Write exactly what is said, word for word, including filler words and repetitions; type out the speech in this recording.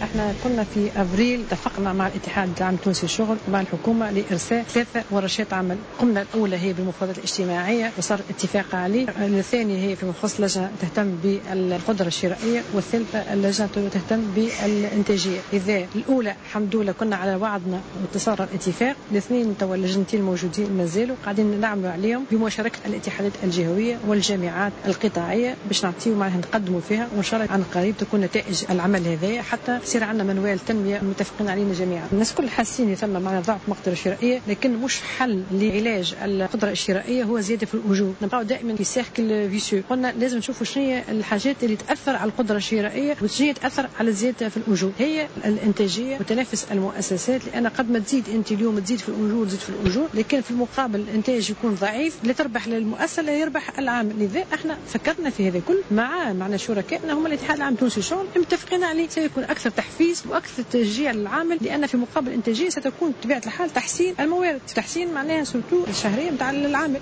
احنا كنا في افريل اتفقنا مع الاتحاد العام التونسي للشغل ومع الحكومة لارساء ثلاثة ورشات عمل. قمنا الاولى هي بالمفاوضات الاجتماعية وصار اتفاق عليه، الثانية هي في مخصص لجنة تهتم بالقدرة الشرائية، والثالثة اللجنة تهتم بالانتاجيه. اذا الاولى الحمد لله كنا على وعدنا وتصار الاتفاق، الاثنين توا اللجنتين الموجودين مازالوا قاعدين نعملوا عليهم بمشاركة الاتحادات الجهوية والجامعات القطاعيه باش نعطيو معناها نقدموا فيها، وان شاء الله عن قريب تكون نتائج العمل هذايا حتى يصير عندنا منوال تنمية متفقين علينا جميعا. الناس كل حاسين ثم معنا ضعف مقدره شرائية، لكن مش حل لعلاج القدرة الشرائية هو زيادة في الاجور. نبقاو دائما في cercle vicieux. قلنا لازم نشوفوا شنو هي الحاجات اللي تاثر على القدرة الشرائية وشنو تاثر على الزيادة في الاجور، هي الانتاجية وتنافس المؤسسات، لان قد ما تزيد انت اليوم تزيد في الاجور تزيد في الاجور، لكن في المقابل الانتاج يكون ضعيف، لا تربح للمؤسسه لا يربح العامل. لذا احنا فكرنا في هذا كل مع معنا شركائنا هم الاتحاد العام التونسي للشغل متفقين عليه، سيكون اكثر تحفيز واكثر تشجيع للعامل، لان في مقابل الانتاجية ستكون بطبيعة الحال تحسين الموارد، تحسين معناها surtout الشهرية نتاع العامل.